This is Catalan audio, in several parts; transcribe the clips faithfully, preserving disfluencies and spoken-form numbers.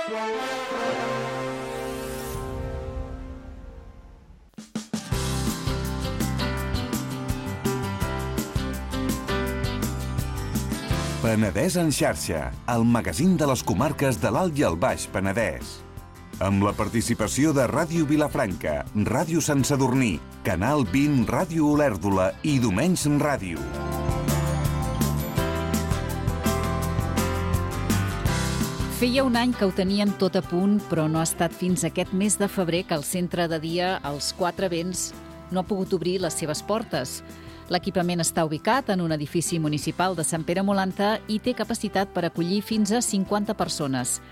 Penedès en xarxa, el magazín de les comarques de l'Alt i el Baix Penedès. Amb la participació de Ràdio Vilafranca, Ràdio Sant Sadurní, Canal vint, Ràdio Olèrdola i Domenys Ràdio. Feia un any que ho teníem tot a punt, però no ha estat fins aquest mes de febrer que el centre de dia Els Quatre Vents no ha pogut obrir les seves portes. L'equipament està ubicat en un edifici municipal de Sant Pere Molanta i té capacitat per acollir fins a cinquanta persones.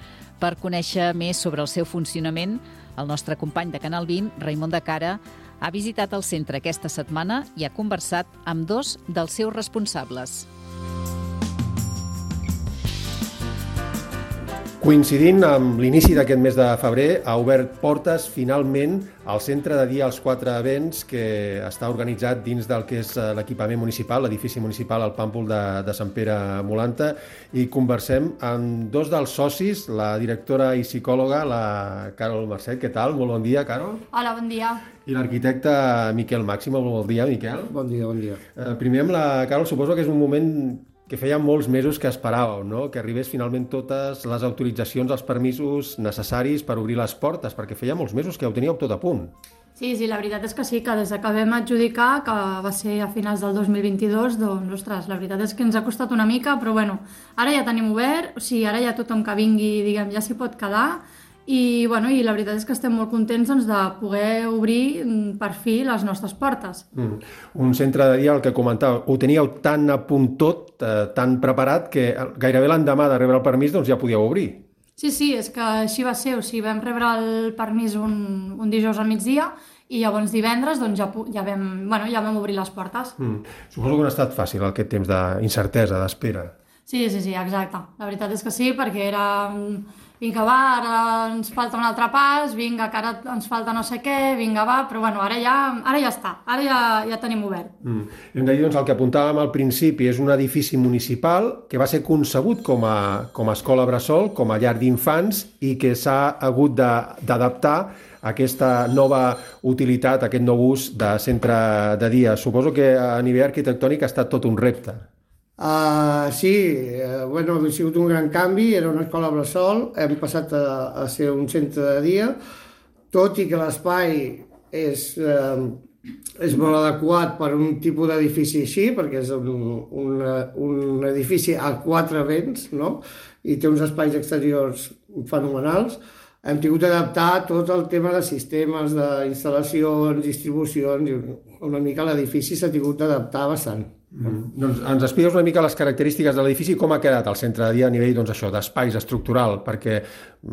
Per conèixer més sobre el seu funcionament, el nostre company de Canal vint, Raimon de Cara, ha visitat el centre aquesta setmana i ha conversat amb dos dels seus responsables. Coincidint amb l'inici d'aquest mes de febrer, ha obert portes finalment al centre de dia Els Quatre Vents, que està organitzat dins del que és l'equipament municipal, l'edifici municipal al Pàmpol de, de Sant Pere Molanta, i conversem amb dos dels socis, la directora i psicòloga, la Carol Marcet. Què tal? Molt bon dia, Carol. Hola, bon dia. I l'arquitecte Miquel Màximo. Molt bon dia, Miquel. Bon dia, bon dia. Eh, primer amb la Carol, suposo que és un moment que feia molts mesos que esperàveu, no? Que arribés finalment totes les autoritzacions, els permisos necessaris per obrir les portes, perquè feia molts mesos que ho teníeu tot a punt. Sí, sí, la veritat és que sí, que des que vam adjudicar, que va ser a finals del dos mil vint-i-dos, doncs, ostres, la veritat és que ens ha costat una mica, però bueno, ara ja tenim obert, o sigui, ara ja tothom que vingui, diguem, ja s'hi pot quedar, i, bueno, i la veritat és que estem molt contents doncs, de poder obrir per fi les nostres portes. Mm. Un centre de dia, el que comentàveu, ho teníeu tan a punt tot, eh, tan preparat, que gairebé l'endemà de rebre el permís doncs ja podíeu obrir. Sí, sí, és que així va ser, o sigui, vam rebre el permís un, un dijous al migdia i llavors divendres doncs, ja, ja, vam, bueno, ja vam obrir les portes. Mm. Suposo que no ha estat fàcil aquest temps d'incertesa, d'espera. Sí, sí, sí, exacte. La veritat és que sí, perquè era... Vinga, va, ara ens falta un altre pas, vinga, que ara ens falta no sé què, vinga, va, però bueno, ara ja, ara ja està, ara ja, ja tenim obert. Mm. Hem de dir, doncs, el que apuntàvem al principi és un edifici municipal que va ser concebut com a, com a escola bressol, com a llar d'infants, i que s'ha hagut d'adaptar a aquesta nova utilitat, aquest nou ús de centre de dia. Suposo que a nivell arquitectònic ha estat tot un repte. Uh, sí, uh, bueno, ha sigut un gran canvi, era una escola bressol, hem passat a, a ser un centre de dia, tot i que l'espai és, uh, és molt adequat per un tipus d'edifici així, perquè és un, un, un edifici a quatre vents, no? I té uns espais exteriors fenomenals. Hem tingut d'adaptar tot el tema de sistemes, d'instal·lacions, distribucions, i una mica l'edifici s'ha tingut d'adaptar bastant. Mm. Doncs ens expliques una mica les característiques de l'edifici i com ha quedat el centre de dia a nivell doncs, això d'espais estructural, perquè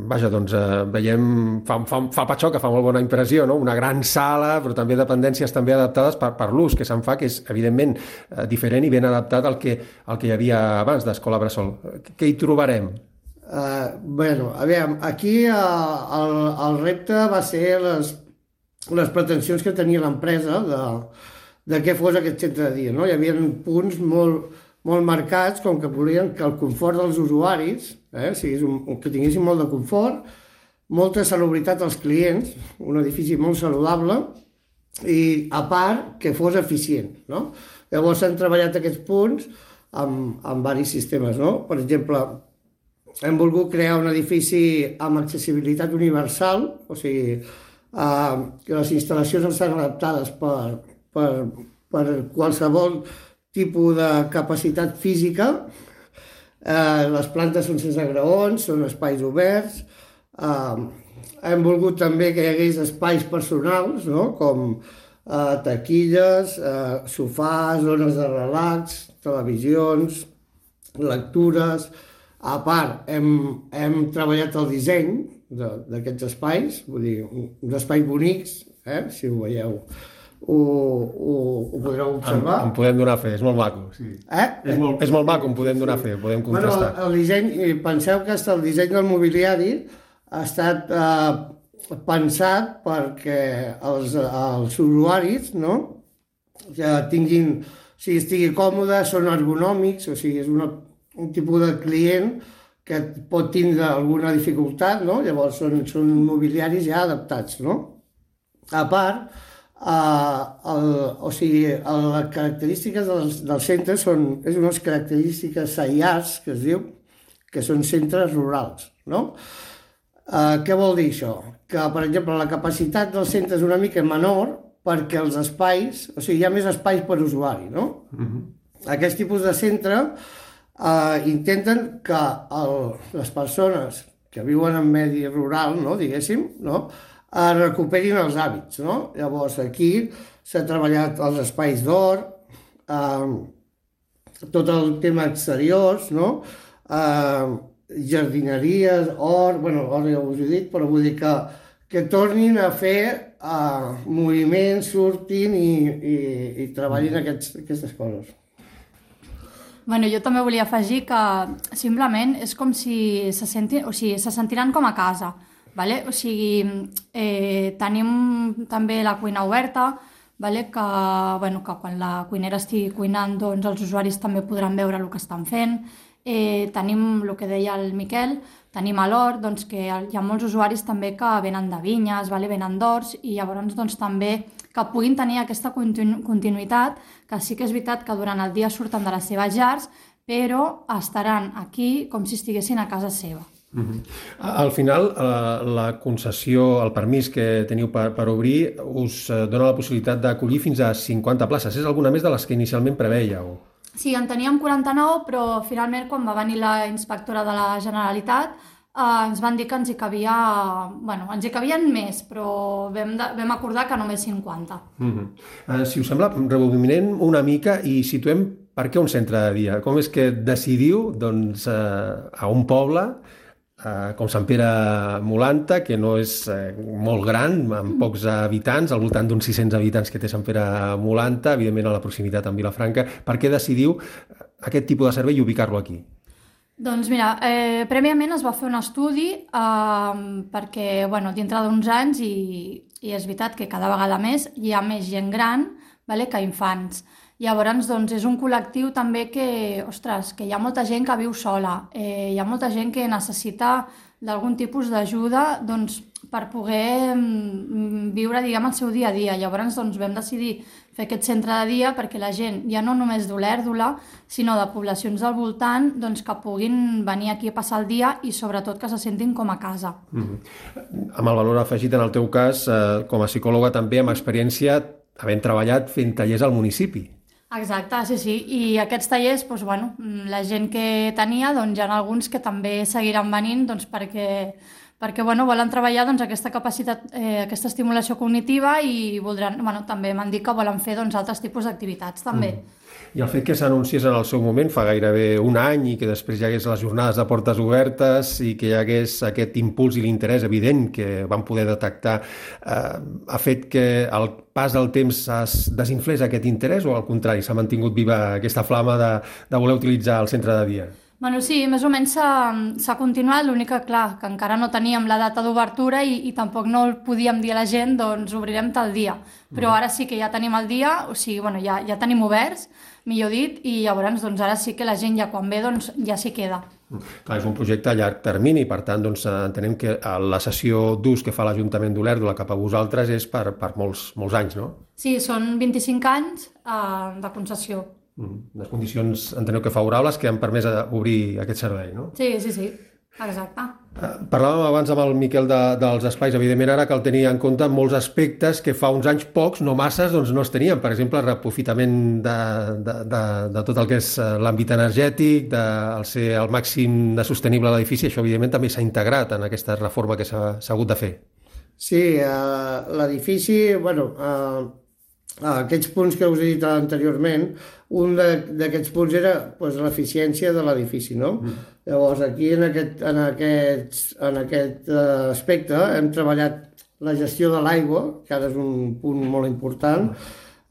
vaja, doncs, eh, veiem, fa, fa, fa patxó, que fa molt bona impressió, no? Una gran sala, però també dependències també adaptades per, per l'ús que se'n fa, que és evidentment eh, diferent i ben adaptat al que, al que hi havia abans d'escola bressol. Què hi trobarem? Uh, bueno, a veure, aquí uh, el, el repte va ser les, les pretensions que tenia l'empresa de de què fos aquest centre de dia, no? Hi havia punts molt, molt marcats, com que volien que el confort dels usuaris, eh, sigués un, que tinguessin molt de confort, molta salubritat als clients, un edifici molt saludable, i a part que fos eficient, no? Llavors s'han treballat aquests punts amb, amb diversos sistemes, no? Per exemple, hem volgut crear un edifici amb accessibilitat universal, o sigui, eh, que les instal·lacions estan adaptades per Per, per qualsevol tipus de capacitat física. Eh, les plantes són sense graons, són espais oberts. Eh, hem volgut també que hi hagués espais personals, no? Com eh, taquilles, eh, sofàs, zones de relax, televisions, lectures. A part, hem, hem treballat el disseny d'aquests espais, vull dir, uns espais bonics, eh? Si ho veieu. Ho, ho, ho podreu observar. En, en podem donar fe, és molt maco. Sí. Eh? És, molt, és molt maco, en podem donar fe, podem contrastar. Bueno, el disseny, penseu que el disseny del mobiliari ha estat eh, pensat perquè els, els usuaris, no? Que tinguin, o sigui, estigui còmode, són ergonòmics, o sigui, és una, un tipus de client que pot tindre alguna dificultat, no? Llavors són, són mobiliaris ja adaptats, no? A part, eh, el, o sigui, el, les característiques dels, dels centres són és unes característiques S A I A S, que es diu, que són centres rurals, no? Eh, què vol dir això? Que, per exemple, la capacitat del centre és una mica menor perquè els espais, o sigui, hi ha més espais per usuari, no? Uh-huh. Aquest tipus de centre eh, intenten que el, les persones que viuen en medi rural, no, diguéssim, no, eh, recuperin els hàbits, no? Llavors, aquí s'ha treballat els espais d'hort, eh, tot el tema exteriors, no? Eh, jardineries, hort, bueno, hort ja us he dit, però vull dir que, que tornin a fer uh, moviments, surtin i, i, i treballin aquests, aquestes coses. Bueno, jo també volia afegir que simplement és com si se, senti, o sigui, se sentiran com a casa, vale? O sigui, eh, tenim també la cuina oberta, vale? que, bueno, que quan la cuinera estigui cuinant doncs els usuaris també podran veure el que estan fent. Eh, tenim el que deia el Miquel, tenim a l'hort, doncs, que hi ha molts usuaris també que venen de vinyes, vale? Venen d'horts, i llavors doncs, també que puguin tenir aquesta continu continuïtat, que sí que és veritat que durant el dia surten de les seves llars, però estaran aquí com si estiguessin a casa seva. Uh-huh. Al final, la concessió, el permís que teniu per, per obrir, us dona la possibilitat d'acollir fins a cinquanta places. És alguna més de les que inicialment prevèieu? Sí, en teníem quaranta-nou, però finalment quan va venir la inspectora de la Generalitat eh, ens van dir que ens hi cabia... Bueno, ens hi cabien més, però vam, de, vam acordar que només cinquanta. Uh-huh. uh, si us sembla, rebobinem una mica i situem per què un centre de dia. Com és que decidiu doncs, uh, a un poble Uh, com Sant Pere Molanta, que no és uh, molt gran, amb pocs habitants, al voltant d'uns sis-cents habitants que té Sant Pere Molanta, evidentment a la proximitat amb Vilafranca. Per què decidiu aquest tipus de servei i ubicar-lo aquí? Doncs mira, eh, prèviament es va fer un estudi eh, perquè, bueno, dintre d'uns anys, i, i és veritat que cada vegada més hi ha més gent gran, vale, que infants. Llavors, doncs, és un col·lectiu també que, ostres, que hi ha molta gent que viu sola, eh, hi ha molta gent que necessita d'algun tipus d'ajuda doncs, per poder mm, viure, diguem, el seu dia a dia. Llavors, doncs, vam decidir fer aquest centre de dia perquè la gent, ja no només d'Olèrdola, sinó de poblacions del voltant, doncs, que puguin venir aquí a passar el dia i, sobretot, que se sentin com a casa. Mm-hmm. Amb el valor afegit, en el teu cas, eh, com a psicòloga també, amb experiència, havent treballat fent tallers al municipi. Exacte, sí, sí. I aquests tallers, doncs, bueno, la gent que tenia, doncs, hi ha alguns que també seguiran venint doncs, perquè, perquè bueno, volen treballar doncs, aquesta capacitat, eh, aquesta estimulació cognitiva i voldran, bueno, també m'han dit que volen fer doncs, altres tipus d'activitats també. Mm. I el fet que s'anunciés en el seu moment, fa gairebé un any, i que després hi hagués les jornades de portes obertes i que hi hagués aquest impuls i l'interès evident que vam poder detectar, eh, ha fet que el pas del temps es desinflés aquest interès o al contrari, s'ha mantingut viva aquesta flama de, de voler utilitzar el centre de dia? Bueno, sí, més o menys s'ha continuat, l'únic que, clar, que encara no teníem la data d'obertura i, i tampoc no podíem dir a la gent, doncs obrirem tal dia. Però ara sí que ja tenim el dia, o sigui, bueno, ja, ja tenim oberts, millor dit, i llavors doncs, ara sí que la gent ja quan ve doncs, ja s'hi queda. Clar, és un projecte a llarg termini, per tant doncs, entenem que la sessió d'ús que fa l'Ajuntament d'Olèrdola cap a vosaltres és per, per molts, molts anys, no? Sí, són vint-i-cinc anys eh, de concessió. Les condicions, enteneu que favorables, que han permès obrir aquest servei, no? Sí, sí, sí, exacte. Parlàvem abans amb el Miquel de, dels espais. Evidentment, ara cal tenir en compte molts aspectes que fa uns anys pocs, no masses, doncs no es tenien. Per exemple, el reaprofitament de, de, de, de tot el que és l'àmbit energètic, de el ser al màxim de sostenible l'edifici. Això, evidentment, també s'ha integrat en aquesta reforma que s'ha hagut de fer. Sí, uh, l'edifici, bueno... Uh... Ah, aquests punts que us he dit anteriorment, un d'aquests punts era pues, l'eficiència de l'edifici, no? Mm. Llavors, aquí en aquest, en aquest, en aquest uh, aspecte hem treballat la gestió de l'aigua, que ara és un punt molt important,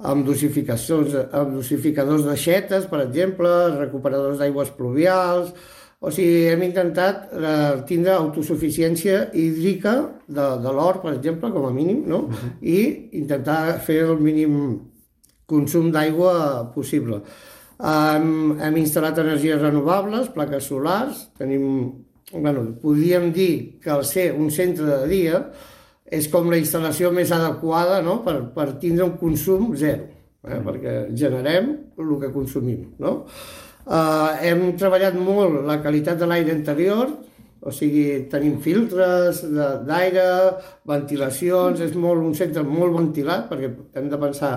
amb dosificacions, amb dosificadors d'aixetes, per exemple, recuperadors d'aigües pluvials. O sigui, hem intentat eh, tindre autosuficiència hídrica de, de l'hort, per exemple, com a mínim, no? Uh-huh. I intentar fer el mínim consum d'aigua possible. Um, hem instal·lat energies renovables, plaques solars, tenim bueno, podríem dir que al ser un centre de dia és com la instal·lació més adequada, no? per, per tindre un consum zero, eh? perquè generem el que consumim. No? Uh, hem treballat molt la qualitat de l'aire interior, o sigui, tenim filtres d'aire, ventilacions, és molt, un centre molt ventilat, perquè hem de pensar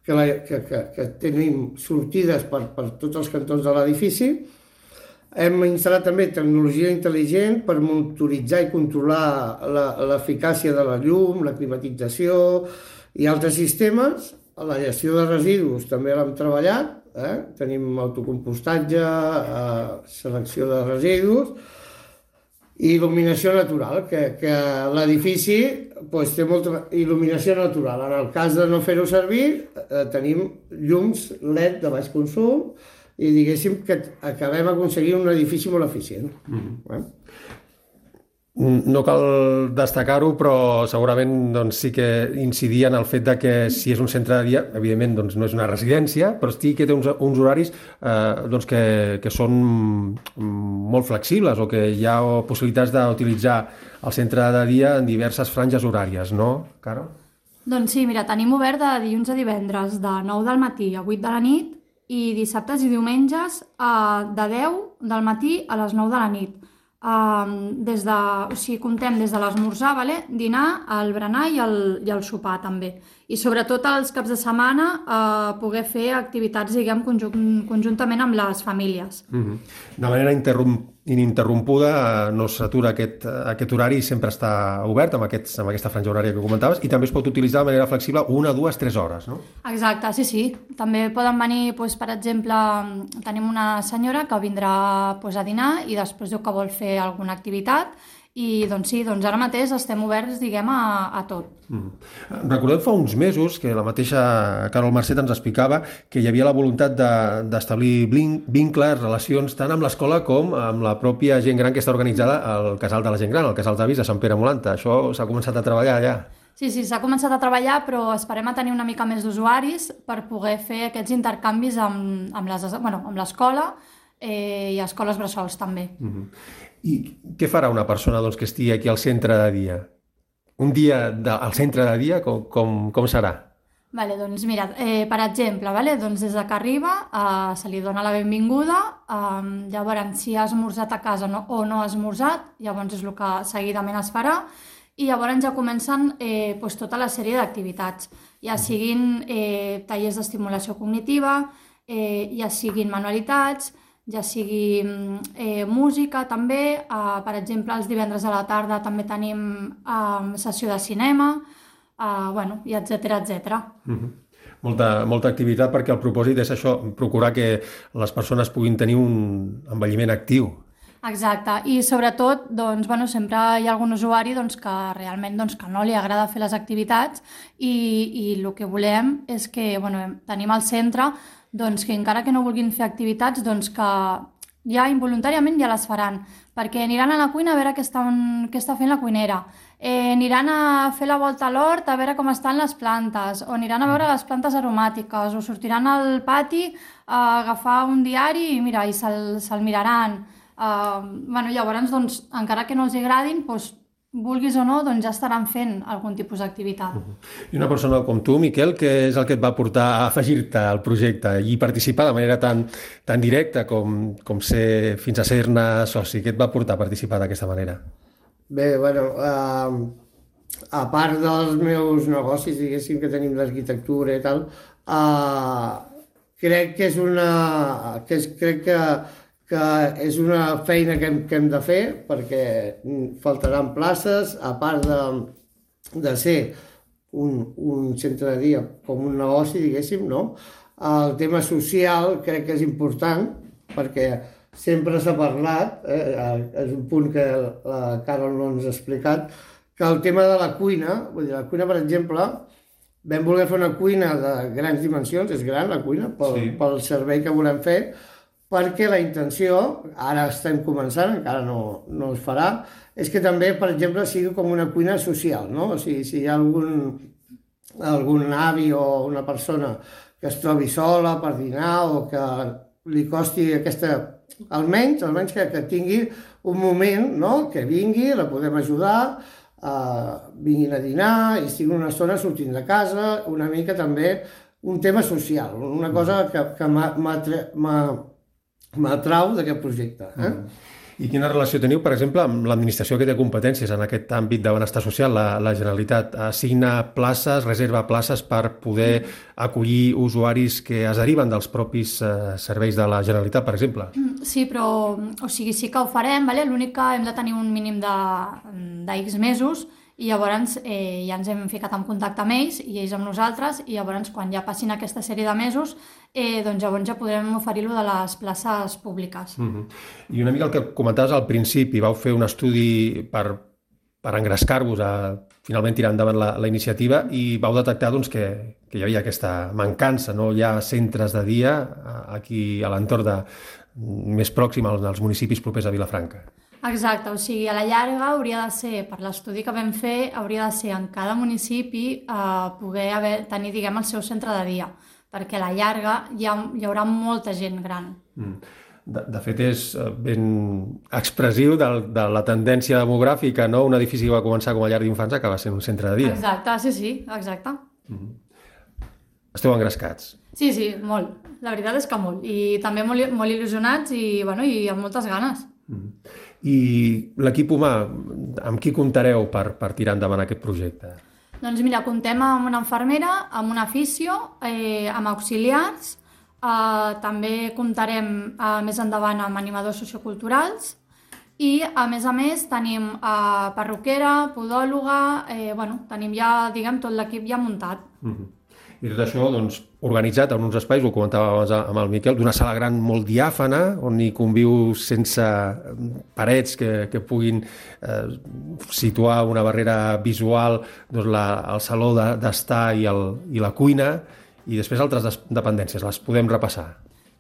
que, la, que, que, que tenim sortides per, per tots els cantons de l'edifici. Hem instal·lat també tecnologia intel·ligent per monitoritzar i controlar l'eficàcia de la llum, la climatització i altres sistemes. La gestió de residus també l'hem treballat, eh? Tenim autocompostatge, eh, selecció de residus i il·luminació natural, que, que l'edifici pues, té molta il·luminació natural. En el cas de no fer-ho servir, eh, tenim llums L E D de baix consum, i diguéssim que acabem aconseguint un edifici molt eficient. Mm-hmm. eh? No cal destacar-ho, però segurament doncs, sí que incidia en el fet de que si és un centre de dia, evidentment doncs, no és una residència, però sí que té uns, uns horaris eh, doncs, que, que són molt flexibles o que hi ha possibilitats d'utilitzar el centre de dia en diverses franges horàries, no, Caro? Doncs sí, mira, tenim obert de dilluns a divendres de nou del matí a vuit de la nit i dissabtes i diumenges eh, de deu del matí a les nou de la nit. Eh, des de, o sigui, comptem des de l'esmorzar, vale? Dinar, el berenar i el, i el sopar també. I sobretot els caps de setmana eh, poder fer activitats, diguem, conjunt, conjuntament amb les famílies. Mm-hmm. De manera interrom ininterrompuda eh, no s'atura aquest, aquest horari i sempre està obert amb, aquests, amb aquesta franja horària que comentaves i també es pot utilitzar de manera flexible una, dues, tres hores, no? Exacte, sí, sí. També poden venir, doncs, per exemple, tenim una senyora que vindrà doncs, a dinar i després diu que vol fer alguna activitat i doncs sí, doncs ara mateix estem oberts, diguem, a, a tot. Mm. Recordem fa uns mesos que la mateixa Carol Marcet ens explicava que hi havia la voluntat d'establir de, vincles, relacions, tant amb l'escola com amb la pròpia gent gran que està organitzada al Casal de la Gent Gran, al Casal d'Avis de Sant Pere Molanta. Això s'ha començat a treballar ja. Sí, sí, s'ha començat a treballar, però esperem a tenir una mica més d'usuaris per poder fer aquests intercanvis amb, amb l'escola bueno, amb eh, i escoles bressols també. Mm-hmm. I què farà una persona doncs, que estigui aquí al centre de dia? Un dia de, al centre de dia, com, com, com serà? Vale, doncs mira, eh, per exemple, vale, doncs des que arriba eh, se li dona la benvinguda, eh, llavors si ha esmorzat a casa no, o no ha esmorzat, llavors és el que seguidament es farà, i llavors ja comencen eh, doncs, tota la sèrie d'activitats, ja siguin eh, tallers d'estimulació cognitiva, eh, ja siguin manualitats, ja sigui eh, música també, eh, per exemple els divendres a la tarda també tenim eh, sessió de cinema, eh, bueno, i etcètera, etcètera. Mm-hmm. Molta, molta activitat perquè el propòsit és això, procurar que les persones puguin tenir un envelliment actiu. Exacte, i sobretot doncs, bueno, sempre hi ha algun usuari doncs, que realment doncs, que no li agrada fer les activitats i, i el que volem és que bueno, tenim al centre doncs, que encara que no vulguin fer activitats, doncs que ja involuntàriament ja les faran, perquè aniran a la cuina a veure què, estan, què està fent la cuinera, eh, aniran a fer la volta a l'hort a veure com estan les plantes, o aniran a veure les plantes aromàtiques, o sortiran al pati a agafar un diari i, mira, i se'l se miraran. Uh, bueno, llavors, doncs, encara que no els agradin, doncs, vulguis o no, doncs ja estaran fent algun tipus d'activitat. Uh-huh. I una persona com tu, Miquel, què és el que et va portar a afegir-te al projecte i participar de manera tan, tan directa com, com ser, fins a ser-ne soci? Què et va portar a participar d'aquesta manera? Bé, bueno, uh, a part dels meus negocis, diguéssim, que tenim d'arquitectura i tal, uh, crec que és una... Que és, crec que que és una feina que hem, que hem de fer perquè faltaran places, a part de, de ser un, un centre de dia com un negoci, diguéssim, no? El tema social crec que és important perquè sempre s'ha parlat, eh, és un punt que la Carol no ens ha explicat, que el tema de la cuina, vull dir, la cuina, per exemple, vam voler fer una cuina de grans dimensions, és gran la cuina, pel, sí. pel servei que volem fer, perquè la intenció, ara estem començant, encara no, no es farà, és que també, per exemple, sigui com una cuina social, no? O sigui, si hi ha algun, algun avi o una persona que es trobi sola per dinar o que li costi aquesta... Almenys, almenys que, que tingui un moment, no?, que vingui, la podem ajudar, eh, vinguin a dinar i estiguin una estona sortint de casa, una mica també un tema social, una cosa que, que m'atrau d'aquest projecte. Eh? Mm. I quina relació teniu, per exemple, amb l'administració que té competències en aquest àmbit de benestar social? La, la Generalitat assigna places, reserva places per poder acollir usuaris que es deriven dels propis eh, serveis de la Generalitat, per exemple? Sí, però o sigui, sí que ho farem, vale? L'únic que hem de tenir un mínim de, de X mesos i llavors eh, ja ens hem ficat en contacte amb ells i ells amb nosaltres i llavors quan ja passin aquesta sèrie de mesos eh, doncs llavors ja podrem oferir-lo de les places públiques. Uh-huh. I una mica el que comentaves al principi, vau fer un estudi per, per engrescar-vos a finalment tirar endavant la, la iniciativa i vau detectar doncs, que, que hi havia aquesta mancança, no hi ha centres de dia aquí a l'entorn de, més pròxim als, als municipis propers a Vilafranca. Exacte, o sigui, a la llarga hauria de ser, per l'estudi que vam fer, hauria de ser en cada municipi eh, poder haver, tenir, diguem, el seu centre de dia, perquè a la llarga hi, ha, hi haurà molta gent gran. Mm. De, de fet, és ben expressiu de, de la tendència demogràfica, no? Un edifici que va començar com a llar d'infants acaba sent un centre de dia. Exacte, sí, sí, exacte. Mm. Esteu engrescats. Sí, sí, molt. La veritat és que molt. I també molt, molt il·lusionats i, bueno, i amb moltes ganes. Mm. I l'equip humà, amb qui comptareu per, per tirar endavant aquest projecte? Doncs mira, comptem amb una infermera, amb una fisio, eh, amb auxiliars, eh, també comptarem eh, més endavant amb animadors socioculturals i, a més a més, tenim eh, perruquera, podòloga, eh, bueno, tenim ja, diguem, tot l'equip ja muntat. Mm-hmm. I tot això, doncs, organitzat en uns espais, ho comentava abans amb el Miquel, d'una sala gran molt diàfana, on hi conviu sense parets que, que puguin eh, situar una barrera visual, doncs la, el saló de, d'estar i, el, i la cuina, i després altres dependències, les podem repassar.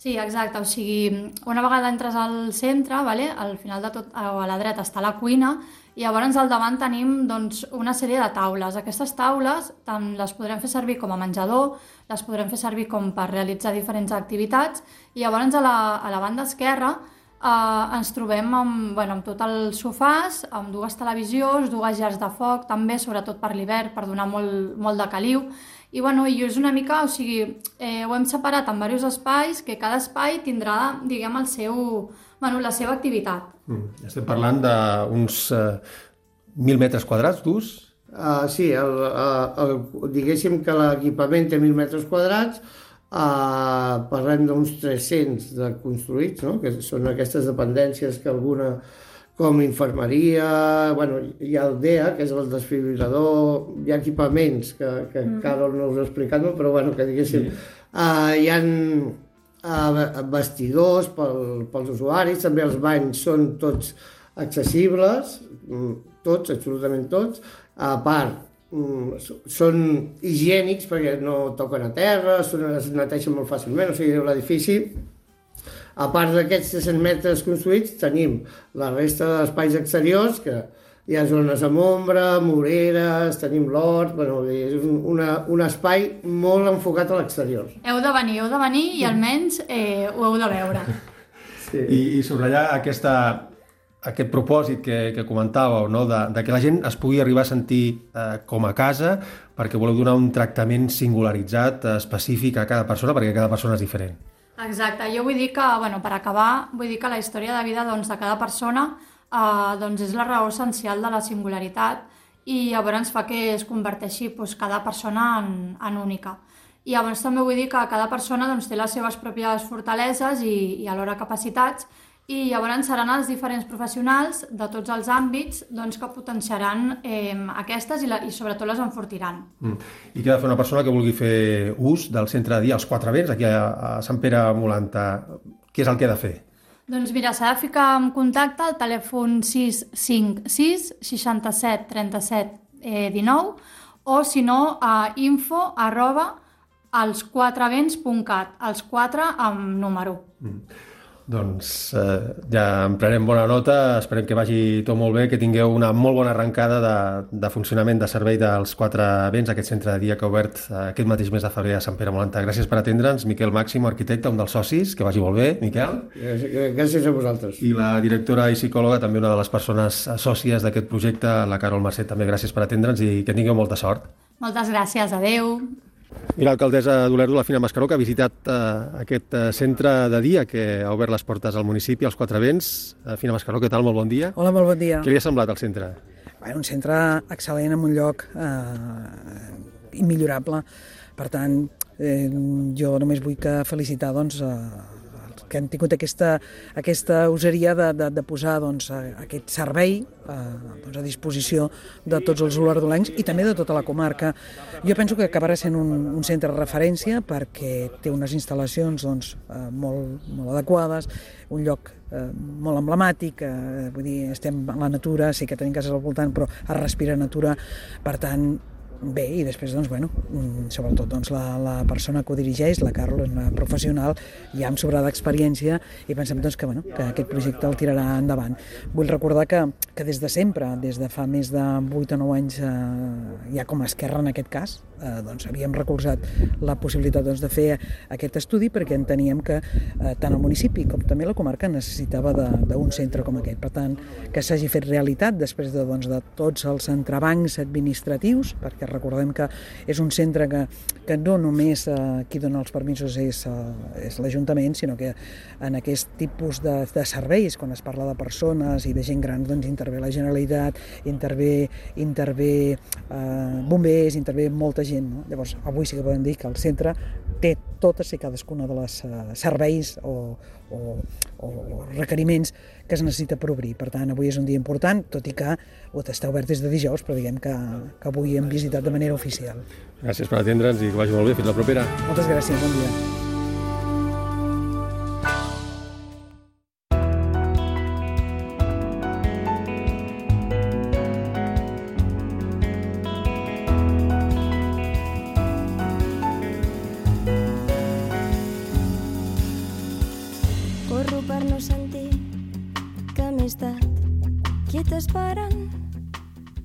Sí, exacte, o sigui, una vegada entres al centre, vale? Al final de tot, a la dreta està la cuina, i llavors al davant tenim doncs, una sèrie de taules. Aquestes taules tant les podrem fer servir com a menjador, les podrem fer servir com per realitzar diferents activitats, i llavors a la, a la banda esquerra eh, ens trobem amb, bueno, amb tots els sofàs, amb dues televisions, dues llars de foc, també, sobretot per l'hivern, per donar molt, molt de caliu. I, bueno, i és una mica, o sigui, eh, ho hem separat en diversos espais, que cada espai tindrà, diguem, el seu, bueno, la seva activitat. Mm. Estem parlant d'uns uh, mil metres quadrats d'ús? Uh, sí, el, el, el, diguéssim que l'equipament té mil metres quadrats, uh, parlem d'uns tres-cents de construïts, no? Que són aquestes dependències que alguna, com infermeria, bueno, hi ha el D E A, que és el desfibrilador, hi ha equipaments que, que mm. Carol no us ha explicat, no? Però bueno, que diguéssim, sí. uh, hi ha uh, vestidors pel, pels usuaris, també els banys són tots accessibles, tots, absolutament tots, a part, són higiènics perquè no toquen a terra, són, es neteixen molt fàcilment, o sigui, l'edifici, a part d'aquests tres-cents metres construïts, tenim la resta d'espais exteriors, que hi ha zones amb ombra, moreres, tenim l'hort, bueno, és un, una, un espai molt enfocat a l'exterior. Heu de venir, heu de venir i almenys eh, ho heu de veure. Sí. I, i subratllar aquesta, aquest propòsit que, que comentàveu, no? de, de que la gent es pugui arribar a sentir eh, com a casa, perquè voleu donar un tractament singularitzat, eh, específic a cada persona, perquè cada persona és diferent. Exacte, jo vull dir que, bueno, per acabar, vull dir que la història de vida doncs, de cada persona eh, doncs és la raó essencial de la singularitat i llavors fa que es converteixi doncs, cada persona en, en única. I llavors també vull dir que cada persona doncs, té les seves pròpies fortaleses i, i alhora capacitats, i llavors seran els diferents professionals de tots els àmbits doncs, que potenciaran eh, aquestes i, la, i sobretot les enfortiran. Mm. I què ha de fer una persona que vulgui fer ús del centre de dia als Quatre Vents, aquí a, a Sant Pere Molanta? Què és el que ha de fer? Doncs mira, s'ha de ficar en contacte al telèfon sis cinc sis seixanta-set trenta-set dinou o si no a info arroba els quatre vents punt cat, els quatre amb número. Mm. Doncs eh, ja en prenem bona nota, esperem que vagi tot molt bé, que tingueu una molt bona arrencada de, de funcionament de servei dels quatre vents, aquest centre de dia que ha obert aquest mateix mes de febrer a Sant Pere Molanta. Gràcies per atendre'ns, Miquel Màximo, arquitecte, un dels socis, que vagi molt bé, Miquel. Gràcies a vosaltres. I la directora i psicòloga, també una de les persones sòcies d'aquest projecte, la Carol Mercè, també gràcies per atendre'ns i que tingueu molta sort. Moltes gràcies, adeu. I l'alcaldessa d'Olèrdola, la Fina Mascaró, que ha visitat eh, aquest eh, centre de dia que ha obert les portes al municipi, als Quatre Vents. Eh, Fina Mascaró, què tal? Molt bon dia. Hola, molt bon dia. Què li ha semblat el centre? Bé, un centre excel·lent en un lloc eh, immillorable. Per tant, eh, jo només vull que felicitar doncs, eh, que han tingut aquesta, aquesta useria de, de, de posar doncs, aquest servei eh, doncs, a disposició de tots els olerdolencs i també de tota la comarca. Jo penso que acabarà sent un, un centre de referència perquè té unes instal·lacions doncs, eh, molt, molt adequades, un lloc eh, molt emblemàtic, eh, vull dir, estem a la natura, sí que tenim cases al voltant, però es respira natura, per tant, bé, i després, doncs, bueno, sobretot doncs, la, la persona que ho dirigeix, la Carol, és una professional ja amb sobrada experiència i pensem doncs, que, bueno, que aquest projecte el tirarà endavant. Vull recordar que, que des de sempre, des de fa més de vuit o nou anys, eh, ja com a Esquerra en aquest cas, eh, doncs, havíem recolzat la possibilitat doncs, de fer aquest estudi perquè enteníem que eh, tant el municipi com també la comarca necessitava d'un centre com aquest. Per tant, que s'hagi fet realitat després de, doncs, de tots els entrebancs administratius, perquè recordem que és un centre que, que no només eh, qui dona els permisos és, eh, és l'Ajuntament, sinó que en aquest tipus de, de serveis, quan es parla de persones i de gent gran, doncs intervé la Generalitat, intervé, intervé eh, bombers, intervé molta gent. No? Llavors, avui sí que podem dir que el centre té totes i cadascuna de les uh, serveis o, o, o requeriments que es necessita per obrir. Per tant, avui és un dia important, tot i que està obert des de dijous, però diguem que, que avui hem visitat de manera oficial. Gràcies per atendre'ns i que vagi molt bé. Fins la propera. Moltes gràcies, bon dia.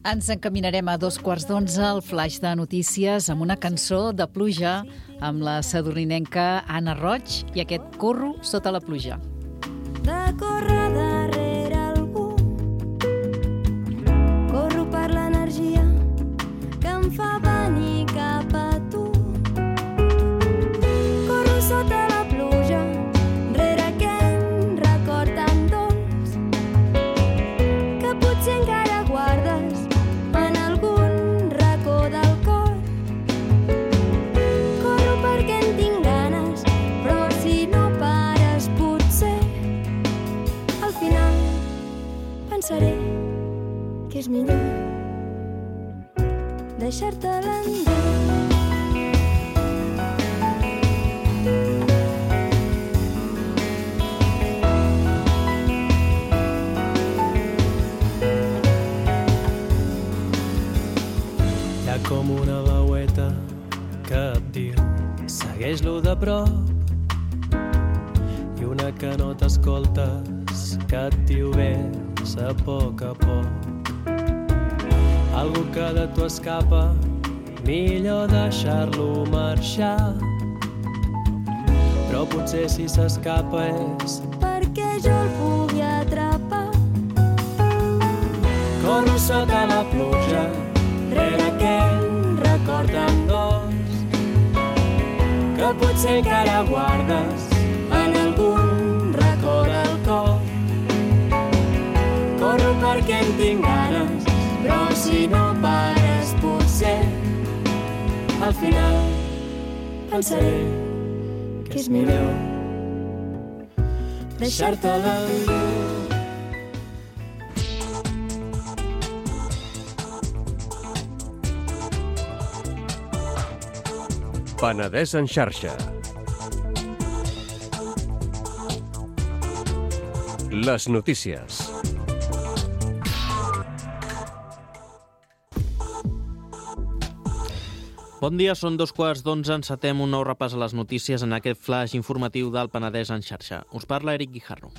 Ens encaminarem a dos quarts d'onze al flaix de notícies amb una cançó de pluja amb la sadurninenca Anna Roig i aquest Corro sota la pluja. De córrer darrere algú, corro per l'energia que em fa venir cap a tu. Corro sota la pluja, rere aquell record tan dolç que potser encara guardes en algun racó del cor. Corro perquè en tinc ganes, però si no pares potser al final pensaré que és millor deixar-te l'endur. Hi ha com una veueta que et diu segueix-lo de prop i una que no t'escoltes que et diu ves a poc a poc. Algú que de tu escapa, millor deixar-lo marxar. Però potser si s'escapa és perquè jo el pugui atrapar. corro sota la pluja, rere aquell record tan dolç que potser encara guardes en algun racó del cor. Corro perquè en tinc ganes, però si no pares potser al final pensaré que és millor deixar-te l'endur. Penedès en xarxa. Les notícies. Bon dia, són dos quarts d'onze, encetem un nou repàs a les notícies en aquest flash informatiu del Penedès en xarxa. Us parla Eric Guijarro.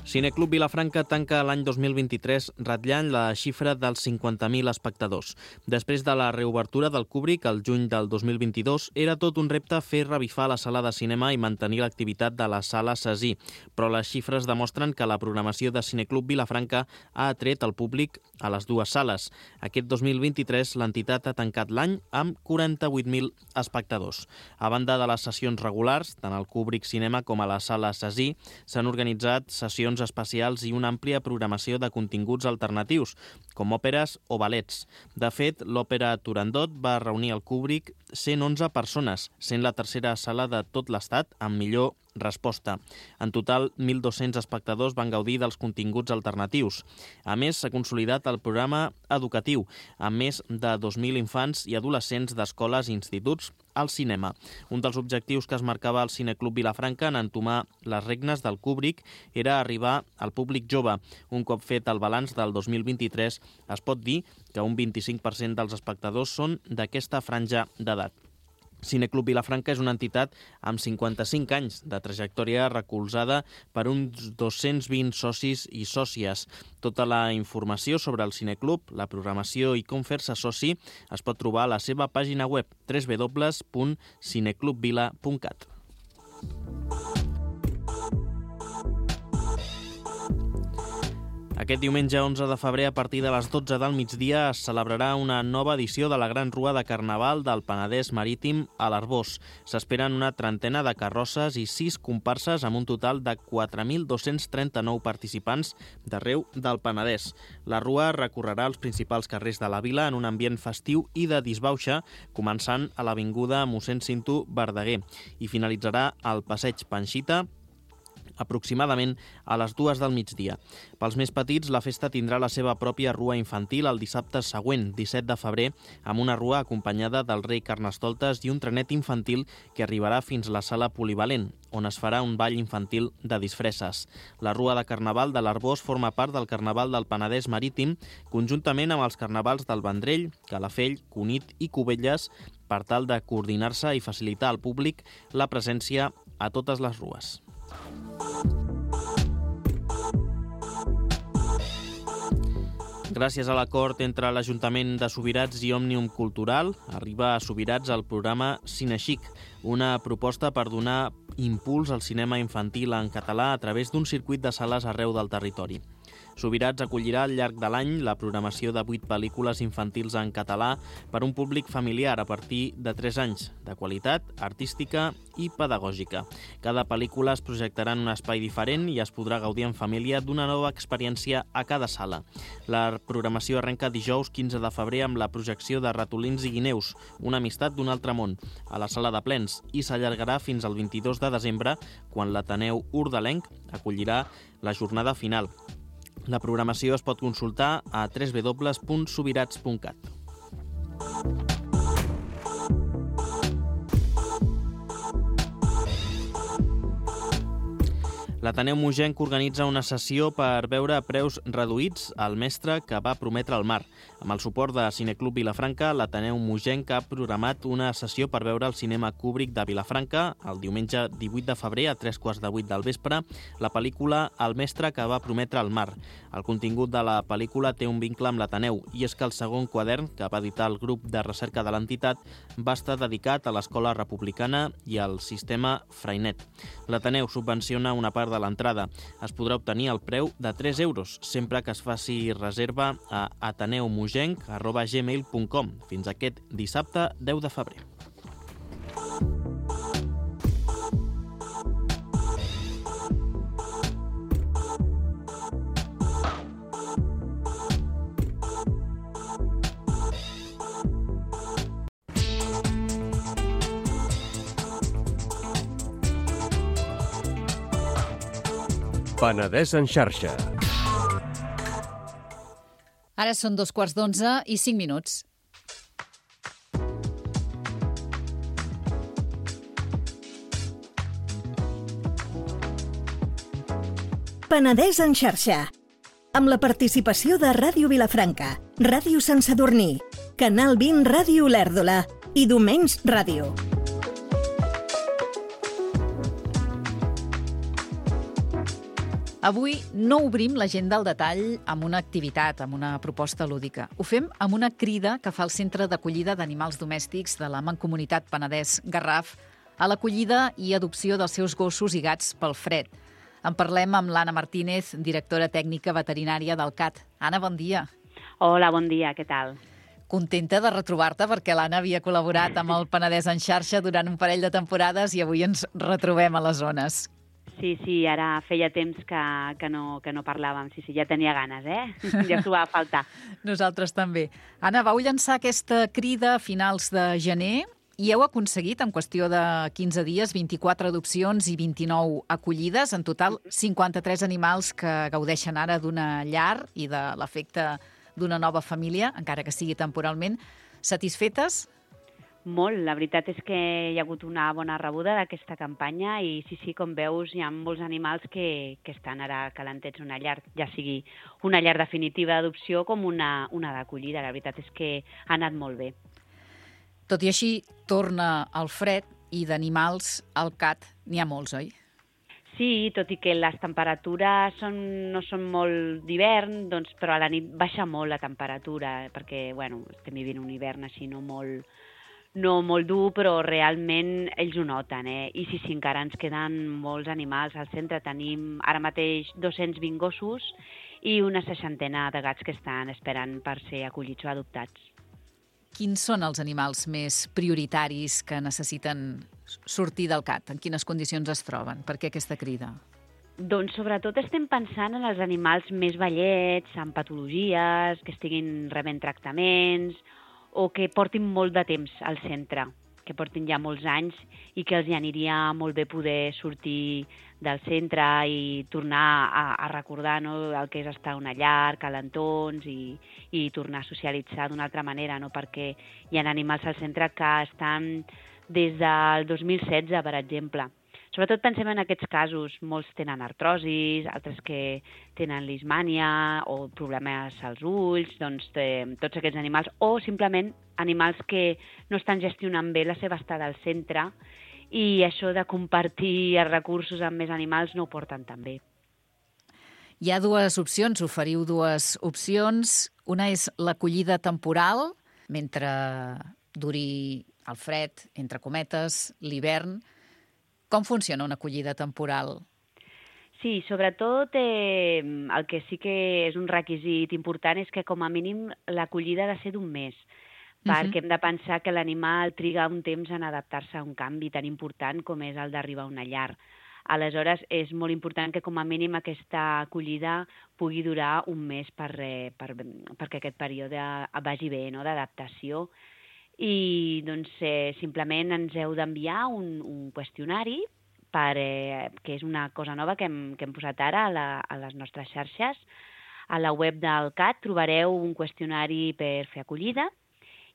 Cineclub Vilafranca tanca l'any dos mil vint-i-tres ratllant la xifra dels cinquanta mil espectadors. Després de la reobertura del Kubrick el juny del dos mil vint-i-dos, era tot un repte fer revifar la sala de cinema i mantenir l'activitat de la sala Cesí, però les xifres demostren que la programació de Cineclub Vilafranca ha atret el públic a les dues sales. Aquest dos mil vint-i-tres l'entitat ha tancat l'any amb quaranta-vuit mil espectadors. A banda de les sessions regulars, tant al Kubrick Cinema com a la sala Cesí, s'han organitzat sessions especials i una àmplia programació de continguts alternatius, com òperes o ballets. De fet, l'òpera Turandot va reunir al Kubrick cent onze persones, sent la tercera sala de tot l'estat amb millor resposta. En total, mil dos-cents espectadors van gaudir dels continguts alternatius. A més, s'ha consolidat el programa educatiu, amb més de dos mil infants i adolescents d'escoles i instituts al cinema. Un dels objectius que es marcava al Cineclub Vilafranca en entomar les regnes del Kubrick era arribar al públic jove. Un cop fet el balanç del dos mil vint-i-tres, es pot dir que un vint-i-cinc per cent dels espectadors són d'aquesta franja d'edat. Cineclub Vilafranca és una entitat amb cinquanta-cinc anys de trajectòria recolzada per uns dos-cents vint socis i sòcies. Tota la informació sobre el Cineclub, la programació i com fer-se soci es pot trobar a la seva pàgina web w w w punt cineclubvila punt cat. Aquest diumenge onze de febrer, a partir de les dotze del migdia, es celebrarà una nova edició de la Gran Rua de Carnaval del Penedès Marítim a l'Arboç. S'esperen una trentena de carrosses i sis comparses amb un total de quatre mil dos-cents trenta-nou participants d'arreu del Penedès. La Rua recorrerà els principals carrers de la vila en un ambient festiu i de disbauxa, començant a l'avinguda Mossèn Cinto Verdaguer i finalitzarà al passeig Panxita, aproximadament a les dues del migdia. Pels més petits, la festa tindrà la seva pròpia rua infantil el dissabte següent, disset de febrer, amb una rua acompanyada del rei Carnestoltes i un trenet infantil que arribarà fins a la sala polivalent, on es farà un ball infantil de disfresses. La Rua de Carnaval de l'Arboç forma part del Carnaval del Penedès Marítim, conjuntament amb els carnavals del Vendrell, Calafell, Cunit i Cubelles, per tal de coordinar-se i facilitar al públic la presència a totes les rues. Gràcies a l'acord entre l'Ajuntament de Subirats i Òmnium Cultural, arriba a Subirats el programa Cinexic, una proposta per donar impuls al cinema infantil en català a través d'un circuit de sales arreu del territori. Subirats acollirà al llarg de l'any la programació de vuit pel·lícules infantils en català per un públic familiar a partir de tres anys, de qualitat artística i pedagògica. Cada pel·lícula es projectarà en un espai diferent i es podrà gaudir en família d'una nova experiència a cada sala. La programació arrenca dijous quinze de febrer amb la projecció de Ratolins i Guineus, una amistat d'un altre món, a la sala de plens, i s'allargarà fins al vint-i-dos de desembre, quan l'Ateneu Urdalenc acollirà la jornada final. La programació es pot consultar a w w w punt subirats punt cat. L'Ateneu Mogenc organitza una sessió per veure a preus reduïts El mestre que va prometre el mar. Amb el suport de Cineclub Vilafranca, l'Ateneu Mogenc ha programat una sessió per veure el cinema Kubrick de Vilafranca el diumenge divuit de febrer a tres quarts de vuit del vespre, la pel·lícula El mestre que va prometre el mar. El contingut de la pel·lícula té un vincle amb l'Ateneu i és que el segon quadern que va editar el grup de recerca de l'entitat va estar dedicat a l'escola republicana i al sistema Freinet. L'Ateneu subvenciona una part de l'entrada. Es podrà obtenir el preu de tres euros sempre que es faci reserva a ateneumogenc arroba gmail punt com fins aquest dissabte deu de febrer. Penedès en xarxa. Ara són dos quarts d'onze i cinc minuts. Penedès en xarxa, amb la participació de Ràdio Vilafranca, Ràdio Sant Sadurní, Canal vint Ràdio Olèrdola i Domenys Ràdio. Avui no obrim l'agenda al detall amb una activitat, amb una proposta lúdica. Ho fem amb una crida que fa el Centre d'Acollida d'Animals Domèstics de la Mancomunitat Penedès Garraf a l'acollida i adopció dels seus gossos i gats pel fred. En parlem amb l'Anna Martínez, directora tècnica veterinària del C A T. Anna, bon dia. Hola, bon dia, què tal? Contenta de retrobar-te perquè l'Anna havia col·laborat amb el Penedès en xarxa durant un parell de temporades i avui ens retrobem a les zones. Sí, sí, ara feia temps que, que, no, que no parlàvem. Sí, sí, ja tenia ganes, eh? Ja s'ho va faltar. Nosaltres també. Anna, vau llançar aquesta crida a finals de gener i heu aconseguit, en qüestió de quinze dies, vint-i-quatre adopcions i vint-i-nou acollides. En total, cinquanta-tres animals que gaudeixen ara d'una llar i de l'efecte d'una nova família, encara que sigui temporalment. Satisfetes? Molt, la veritat és que hi ha hagut una bona rebuda d'aquesta campanya i sí, sí, com veus, hi ha molts animals que, que estan ara calentets una llar, ja sigui una llar definitiva d'adopció com una, una d'acollida. La veritat és que ha anat molt bé. Tot i així, torna el fred i d'animals al C A T n'hi ha molts, oi? Sí, tot i que les temperatures són, no són molt d'hivern, doncs, però a la nit baixa molt la temperatura, perquè bueno, estem vivint un hivern així no molt... no molt dur, però realment ells ho noten, eh? I sí, sí, encara ens queden molts animals al centre. Tenim ara mateix dos-cents vint gossos i una seixantena de gats que estan esperant per ser acollits o adoptats. Quins són els animals més prioritaris que necessiten sortir del C A T? En quines condicions es troben? Per què aquesta crida? Doncs sobretot estem pensant en els animals més vellets, amb patologies, que estiguin rebent tractaments, o que portin molt de temps al centre, que portin ja molts anys i que els hi aniria molt bé poder sortir del centre i tornar a, a recordar, no, el que és estar a una llar, calentons i, i tornar a socialitzar d'una altra manera, no? Perquè hi ha animals al centre que estan des del dos mil setze, per exemple. Sobretot pensem en aquests casos, molts tenen artrosis, altres que tenen lismània o problemes als ulls, doncs eh, tots aquests animals, o simplement animals que no estan gestionant bé la seva estada al centre i això de compartir els recursos amb més animals no ho porten tan bé. Hi ha dues opcions, oferiu dues opcions. Una és l'acollida temporal, mentre duri el fred, entre cometes, l'hivern. Com funciona una acollida temporal? Sí, sobretot eh, el que sí que és un requisit important és que com a mínim l'acollida ha de ser d'un mes, perquè uh-huh. hem de pensar que l'animal triga un temps en adaptar-se a un canvi tan important com és el d'arribar a una llar. Aleshores, és molt important que com a mínim aquesta acollida pugui durar un mes per, eh, per, perquè aquest període vagi bé, no?, d'adaptació. I doncs eh, simplement ens heu d'enviar un, un qüestionari per, eh, que és una cosa nova que hem, que hem posat ara a, la, a les nostres xarxes. A la web del C A T trobareu un qüestionari per fer acollida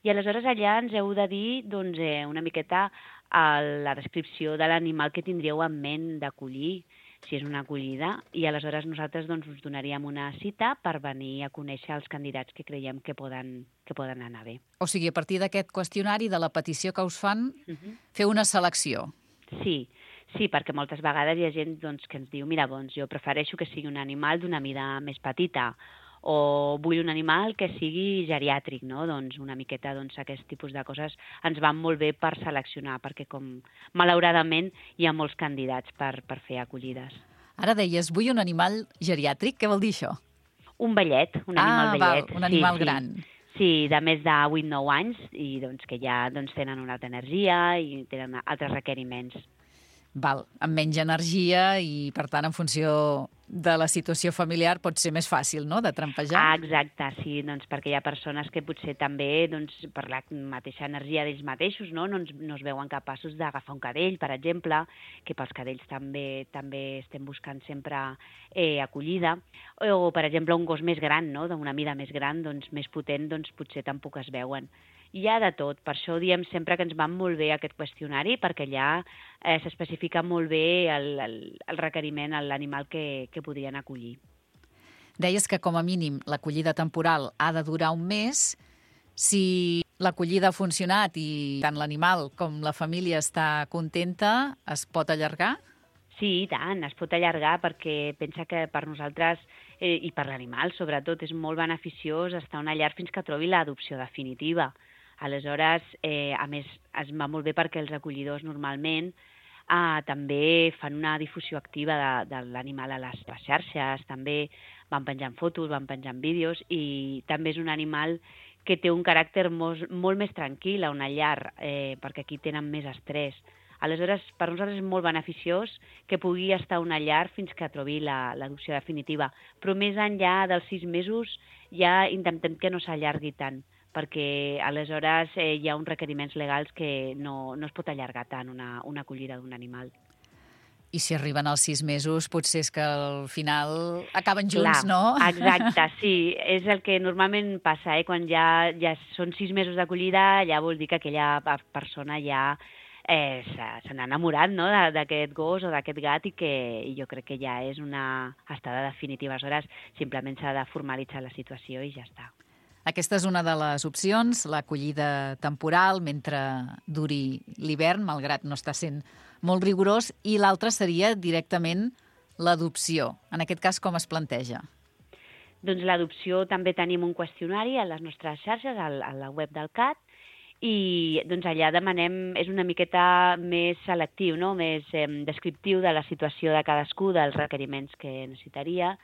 i aleshores allà ens heu de dir doncs, eh, una miqueta a la descripció de l'animal que tindríeu en ment d'acollir, si és una acollida, i aleshores nosaltres doncs, us donaríem una cita per venir a conèixer els candidats que creiem que poden, que poden anar bé. O sigui, a partir d'aquest qüestionari, de la petició que us fan, uh-huh. fer una selecció. Sí, sí, perquè moltes vegades hi ha gent doncs, que ens diu mira, doncs, jo prefereixo que sigui un animal d'una mida més petita, o vull un animal que sigui geriàtric, no? Doncs una miqueta doncs, aquest tipus de coses ens van molt bé per seleccionar, perquè com malauradament hi ha molts candidats per, per fer acollides. Ara deies, vull un animal geriàtric, què vol dir això? Un vellet, un animal ah, vellet. Val, un animal sí, gran. Sí. Sí, de més de vuit nou anys i doncs, que ja doncs, tenen una altra energia i tenen altres requeriments. Val, amb menys energia i, per tant, en funció de la situació familiar pot ser més fàcil, no?, de trampejar. Ah, exacte, sí, doncs perquè hi ha persones que potser també, doncs, per la mateixa energia d'ells mateixos, no, no, ens, no es veuen capaços d'agafar un cadell, per exemple, que pels cadells també també estem buscant sempre eh, acollida, o, per exemple, un gos més gran, no?, d'una mida més gran, doncs, més potent, doncs, potser tampoc es veuen. Hi ha de tot, per això diem sempre que ens va molt bé aquest qüestionari, perquè allà eh, s'especifica molt bé el, el, el requeriment a l'animal que, que podrien acollir. Deies que com a mínim l'acollida temporal ha de durar un mes. Si l'acollida ha funcionat i tant l'animal com la família està contenta, es pot allargar? Sí, i tant, es pot allargar perquè pensa que per nosaltres eh, i per l'animal, sobretot, és molt beneficiós estar a una llar fins que trobi l'adopció definitiva. Aleshores, eh, a més, es va molt bé perquè els acollidors normalment eh, també fan una difusió activa de, de l'animal a les, les xarxes, també van penjant fotos, van penjant vídeos i també és un animal que té un caràcter molt, molt més tranquil a una llar, eh, perquè aquí tenen més estrès. Aleshores, per nosaltres és molt beneficiós que pugui estar a una llar fins que trobi l'adopció la, definitiva. Però més enllà dels sis mesos ja intentem que no s'allargui tant, perquè aleshores eh, hi ha uns requeriments legals que no, no es pot allargar tant una, una acollida d'un animal. I si arriben als sis mesos, potser és que al final acaben junts, Clar, no? Exacte, sí. És el que normalment passa, eh? Quan ja, ja són sis mesos d'acollida, ja vol dir que aquella persona ja eh, se n'ha enamorat, no?, d'aquest gos o d'aquest gat i que i jo crec que ja és una estada definitiva. Aleshores, simplement s'ha de formalitzar la situació i ja està. Aquesta és una de les opcions, l'acollida temporal mentre duri l'hivern, malgrat no està sent molt rigorós, i l'altra seria directament l'adopció. En aquest cas, com es planteja? Doncs l'adopció també tenim un qüestionari a les nostres xarxes, a la web del C A T, i doncs allà demanem, és una miqueta més selectiu, no?, més eh, descriptiu de la situació de cadascú, dels requeriments que necessitaria,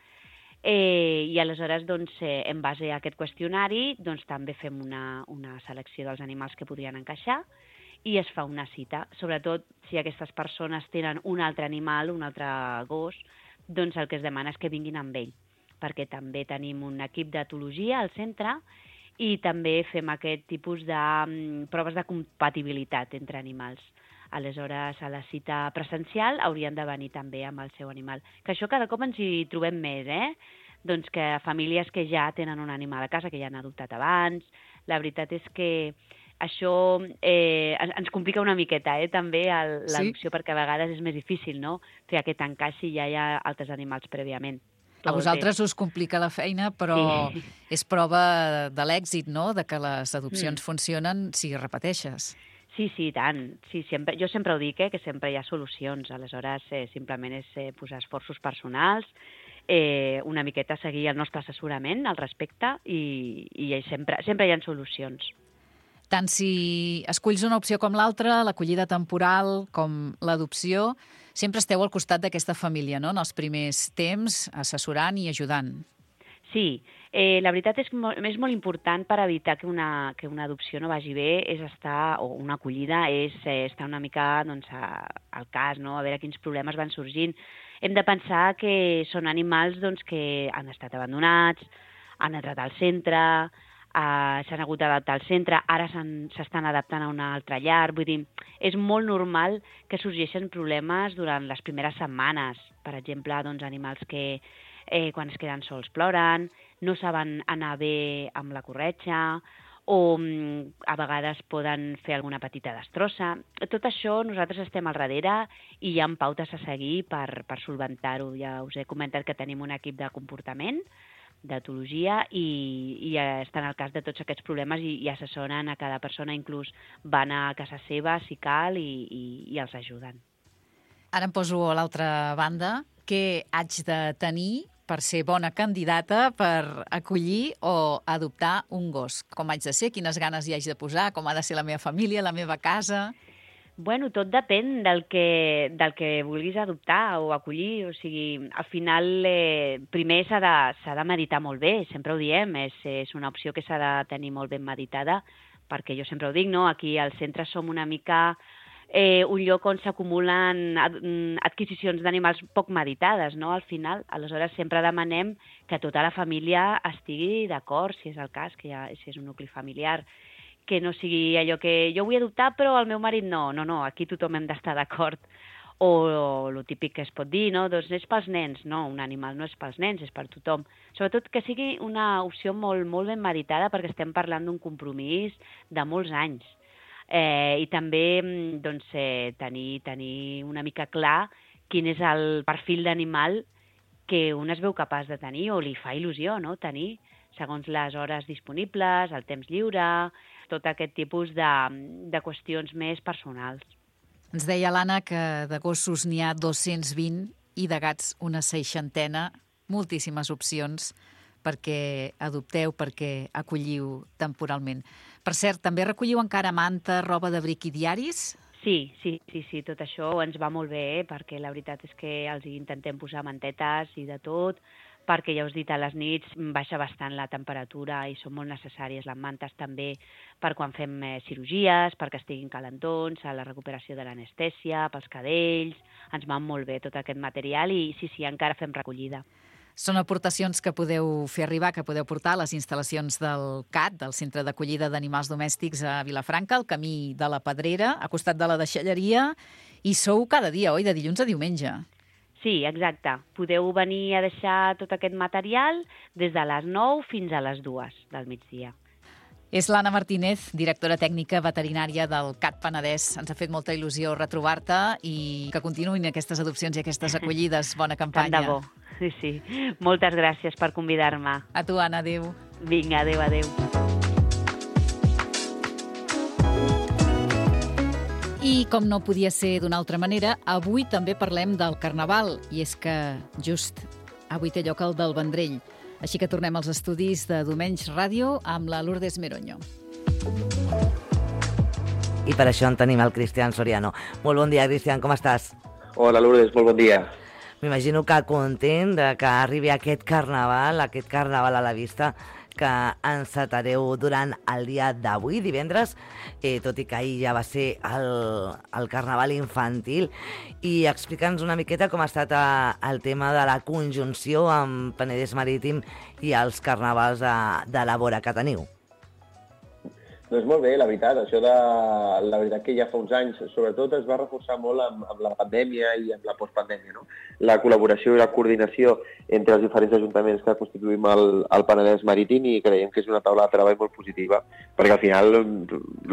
Eh, i aleshores, doncs, eh, en base a aquest qüestionari, doncs, també fem una, una selecció dels animals que podrien encaixar i es fa una cita. Sobretot, si aquestes persones tenen un altre animal, un altre gos, doncs el que es demana és que vinguin amb ell, perquè també tenim un equip d'etologia al centre i també fem aquest tipus de um, proves de compatibilitat entre animals. Aleshores, a la cita presencial haurien de venir també amb el seu animal. Que això cada cop ens hi trobem més, eh? Doncs que famílies que ja tenen un animal a casa, que ja han adoptat abans. La veritat és que això eh, ens complica una miqueta, eh, també, l'adopció, sí? Perquè a vegades és més difícil, no?, fer aquest encaix si ja hi ha altres animals prèviament. A vosaltres us complica la feina, però sí, és prova de l'èxit, no?, de que les adopcions mm. funcionen si repeteixes. Sí, sí, tant. Sí, sempre, jo sempre ho dic, eh, que sempre hi ha solucions. Aleshores, eh, simplement és eh, posar esforços personals, eh, una miqueta seguir el nostre assessorament al respecte i, i sempre, sempre hi ha solucions. Tant si esculls una opció com l'altra, l'acollida temporal com l'adopció, sempre esteu al costat d'aquesta família, no?, en els primers temps, assessorant i ajudant. Sí, eh, la veritat és que és molt important per evitar que una, que una adopció no vagi bé, és estar, o una acollida, és eh, estar una mica doncs, a, al cas, no?, a veure quins problemes van sorgint. Hem de pensar que són animals doncs, que han estat abandonats, han entrat al centre, eh, s'han hagut d'adaptar al centre, ara s'estan adaptant a una altra llar. Vull dir, és molt normal que sorgeixen problemes durant les primeres setmanes. Per exemple, doncs, animals que Eh, quan es queden sols ploren, no saben anar bé amb la corretja o mm, a vegades poden fer alguna petita destrossa. Tot això nosaltres estem al darrere i hi ha pautes a seguir per, per solventar-ho. Ja us he comentat que tenim un equip de comportament, d'etologia, i, i estan al cas de tots aquests problemes i, i assessoren a cada persona, inclús van a casa seva si cal i, i, i els ajuden. Ara em poso a l'altra banda. Què haig de tenir per ser bona candidata per acollir o adoptar un gos? Com haig de ser? Quines ganes hi haig de posar? Com ha de ser la meva família, la meva casa? Bueno, tot depèn del que, del que vulguis adoptar o acollir. O sigui, al final, eh, primer s'ha de, s'ha de meditar molt bé, sempre ho diem, és, és una opció que s'ha de tenir molt ben meditada, perquè jo sempre ho dic, no? Aquí al centre som una mica Eh, un lloc on s'acumulen ad, adquisicions d'animals poc meditades, no?, al final. Aleshores, sempre demanem que tota la família estigui d'acord, si és el cas, que ja, si és un nucli familiar, que no sigui allò que jo vull adoptar però el meu marit no. No, no, aquí tothom hem d'estar d'acord. O, o el típic que es pot dir, no?, doncs és pels nens. No, un animal no és pels nens, és per tothom. Sobretot que sigui una opció molt, molt ben meditada, perquè estem parlant d'un compromís de molts anys. Eh, I també doncs, eh, tenir, tenir una mica clar quin és el perfil d'animal que un es veu capaç de tenir o li fa il·lusió, no?, tenir, segons les hores disponibles, el temps lliure, tot aquest tipus de, de qüestions més personals. Ens deia l'Anna que de gossos n'hi ha dos-cents vint i de gats una seixantena, moltíssimes opcions perquè adopteu, perquè acolliu temporalment. Per cert, també recolliu encara manta, roba d'abric i diaris? Sí, sí, sí, sí, tot això ens va molt bé, perquè la veritat és que els intentem posar mantetes i de tot, perquè ja us he dit, a les nits baixa bastant la temperatura i són molt necessàries les mantes també per quan fem eh, cirurgies, perquè estiguin calentons, a la recuperació de l'anestèsia, pels cadells, ens van molt bé tot aquest material i sí, sí, encara fem recollida. Són aportacions que podeu fer arribar, que podeu portar a les instal·lacions del C A D, del Centre d'Acollida d'Animals Domèstics a Vilafranca, al camí de la Pedrera, a costat de la deixalleria, i sou cada dia, oi?, de dilluns a diumenge. Sí, exacte. Podeu venir a deixar tot aquest material des de les nou fins a les dues del migdia. És l'Anna Martínez, directora tècnica veterinària del C A D Penedès. Ens ha fet molta il·lusió retrobar-te i que continuïn aquestes adopcions i aquestes acollides. Bona campanya. Tant de bo. Sí, sí. Moltes gràcies per convidar-me. A tu, Anna. Adéu. Vinga, adéu, adéu. I com no podia ser d'una altra manera, avui també parlem del Carnaval. I és que just avui té lloc el del Vendrell. Així que tornem als estudis de Domenys Ràdio amb la Lourdes Meroño. I per això en tenim el Cristian Soriano. Molt bon dia, Cristian, com estàs? Hola, Lourdes, molt bon dia. M'imagino que content de que arribi aquest carnaval, aquest carnaval a la vista, que encetareu durant el dia d'avui, divendres, eh, tot i que ahir ja va ser el, el carnaval infantil. I explica'ns una miqueta com ha estat a, el tema de la conjunció amb Penedès Marítim i els carnavals de, de la vora que teniu. Doncs molt bé, la veritat, això de... La veritat que ja fa uns anys, sobretot es va reforçar molt amb, amb la pandèmia i amb la postpandèmia, no? La col·laboració i la coordinació entre els diferents ajuntaments que constituïm el, el Penedès Marítim i creiem que és una taula de treball molt positiva, perquè al final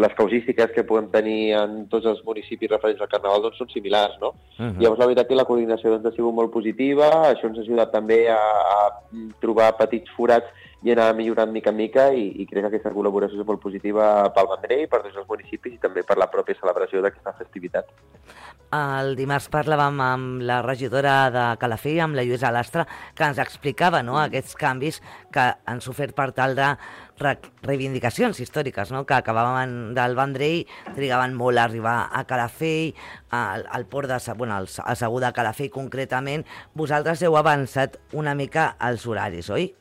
les causístiques que podem tenir en tots els municipis referents al Carnaval doncs, són similars, no? Uh-huh. Llavors la veritat que la coordinació doncs, ha sigut molt positiva, això ens ha ajudat també a, a trobar petits forats i anar millorant mica en mica i, i crec que aquesta col·laboració és molt positiva pel Vendrell, per tots els municipis i també per la pròpia celebració d'aquesta festivitat. El dimarts parlàvem amb la regidora de Calafell, amb la Lluïsa Lastra, que ens explicava no, aquests canvis que han sofert per tal de re reivindicacions històriques, no? Que acabaven del Vendrell, trigaven molt a arribar a Calafell, al, al port de bueno, al, al Segur de Calafell concretament. Vosaltres heu avançat una mica els horaris, oi?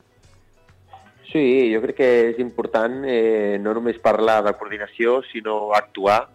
Sí, jo crec que és important eh, no només parlar de coordinació, sinó actuar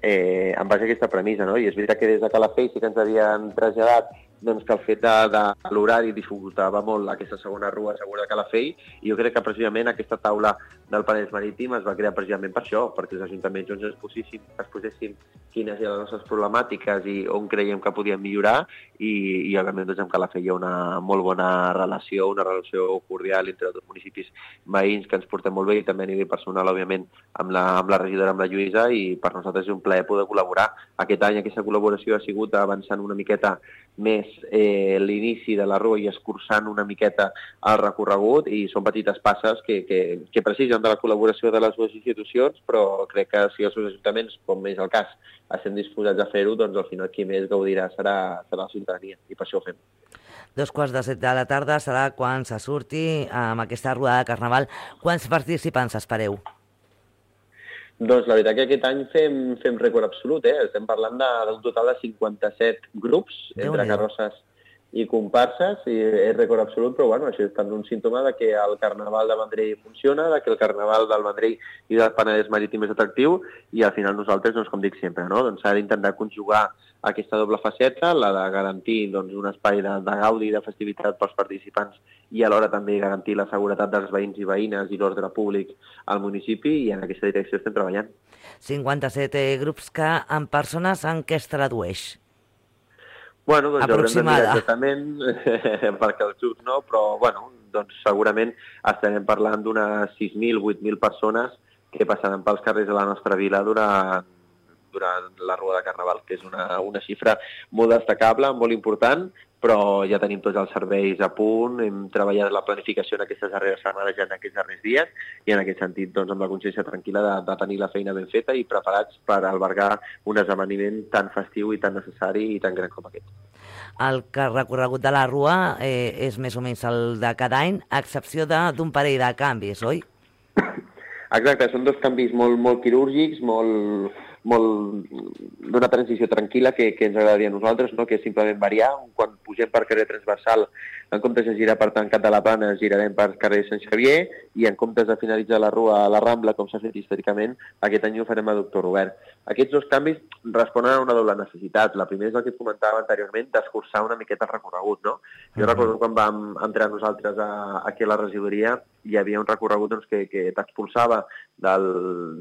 eh, en base a aquesta premissa, no? I és veritat que des de Calafell sí que ens havien traslladat doncs, que el fet de, de l'horari dificultava molt aquesta segona rua segura de Calafell i jo crec que precisament aquesta taula del Penedès Marítim es va crear precisament per això, perquè els ajuntaments doncs, es, posessin, es posessin quines eren les nostres problemàtiques i on creiem que podíem millorar i, i òbviament doncs, amb Calafell hi ha una molt bona relació, una relació cordial entre els municipis veïns que ens portem molt bé i també a nivell personal, òbviament, amb la, amb la regidora, amb la Lluïsa i per nosaltres és un plaer poder col·laborar. Aquest any aquesta col·laboració ha sigut avançant una miqueta més eh, l'inici de la rua i escurçant una miqueta el recorregut i són petites passes que, que, que precisen de la col·laboració de les dues institucions, però crec que si els seus ajuntaments, com és el cas, estem disposats a fer-ho, doncs al final qui més gaudirà serà, serà la ciutadania i per això ho fem. Dos quarts de set de la tarda serà quan se surti amb aquesta ruada de Carnaval. Quants participants espereu? Doncs la veritat que aquest any fem, fem rècord absolut, eh? Estem parlant d'un total de cinquanta-set grups entre carrosses i comparses, i és rècord absolut, però bueno, això és també un símptoma de que el Carnaval de Vendrell funciona, de que el Carnaval del Vendrell i del Penedès Marítim és atractiu, i al final nosaltres, doncs, com dic sempre, no? doncs s'ha d'intentar conjugar aquesta doble faceta, la de garantir doncs, un espai de, de gaudi i de festivitat pels participants i alhora també garantir la seguretat dels veïns i veïnes i l'ordre públic al municipi, i en aquesta direcció estem treballant. cinquanta-set grups que en persones en què es tradueix? Bueno, doncs haurem de mirar exactament, perquè els grups no, però bueno, doncs segurament estarem parlant d'unes sis mil, vuit mil persones que passaran pels carrers de la nostra vila durant, durant la Rua de Carnaval, que és una, una xifra molt destacable, molt important, però ja tenim tots els serveis a punt, hem treballat la planificació en aquestes darreres setmanes ja en aquests darrers dies i en aquest sentit doncs, amb la consciència tranquil·la de, de tenir la feina ben feta i preparats per albergar un esdeveniment tan festiu i tan necessari i tan gran com aquest. El recorregut de la Rua eh, és més o menys el de cada any, a excepció d'un parell de canvis, oi? Exacte, són dos canvis molt, molt quirúrgics, molt, molt d'una transició tranquil·la que, que ens agradaria a nosaltres, no? Que és simplement variar. Quan pugem per carrer transversal, en comptes de girar per Tancat de la Plana, girarem per carrer Sant Xavier i en comptes de finalitzar la Rua a la Rambla, com s'ha fet històricament, aquest any ho farem a Doctor Robert. Aquests dos canvis responen a una doble necessitat. La primera és el que et comentava anteriorment, d'escurçar una miqueta el recorregut, no? Jo uh-huh. recordo quan vam entrar nosaltres a, aquí a la regidoria, hi havia un recorregut doncs, que, que t'expulsava del,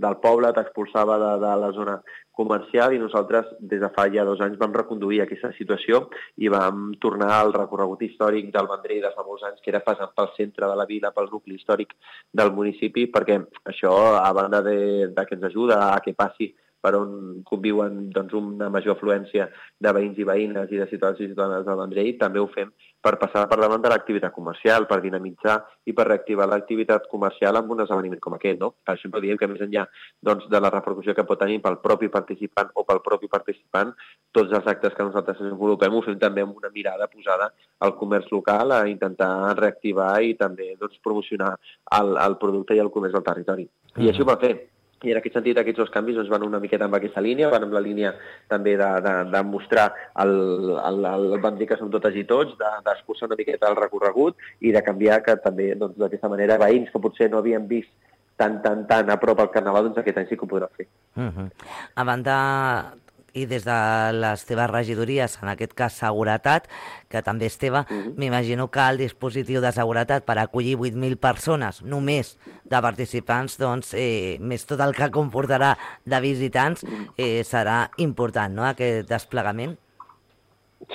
del poble, t'expulsava de, de la zona comercial i nosaltres des de fa ja dos anys vam reconduir aquesta situació i vam tornar al recorregut històric del Vendrell de fa molts anys, que era passant pel centre de la vila, pel nucli històric del municipi, perquè això, a banda de, de que ens ajuda a que passi per on conviuen doncs, una major afluència de veïns i veïnes i de ciutadans i ciutadanes del Vendrell, també ho fem per passar per davant de l'activitat comercial, per dinamitzar i per reactivar l'activitat comercial amb un esdeveniment com aquest, no? Per exemple, diem que més enllà doncs, de la repercussió que pot tenir pel propi participant o pel propi participant, tots els actes que nosaltres desenvolupem ho fem també amb una mirada posada al comerç local, a intentar reactivar i també doncs, promocionar el, el producte i el comerç del territori. I mm. així ho va fer. I en aquest sentit aquests dos canvis doncs, van una miqueta amb aquesta línia, van amb la línia també de, de, de mostrar el, el, el Vendrell que som totes i tots, d'escurçar una miqueta el recorregut i de canviar que també doncs, d'aquesta manera veïns que potser no havien vist tan, tan, tan a prop al Carnaval, doncs aquest any sí que ho podran fer. Uh-huh. A banda i des de les teves regidories, en aquest cas seguretat, que també és teva, uh-huh. m'imagino que el dispositiu de seguretat per acollir vuit mil persones només de participants, doncs, eh, més tot el que comportarà de visitants, eh, serà important, no?, aquest desplegament?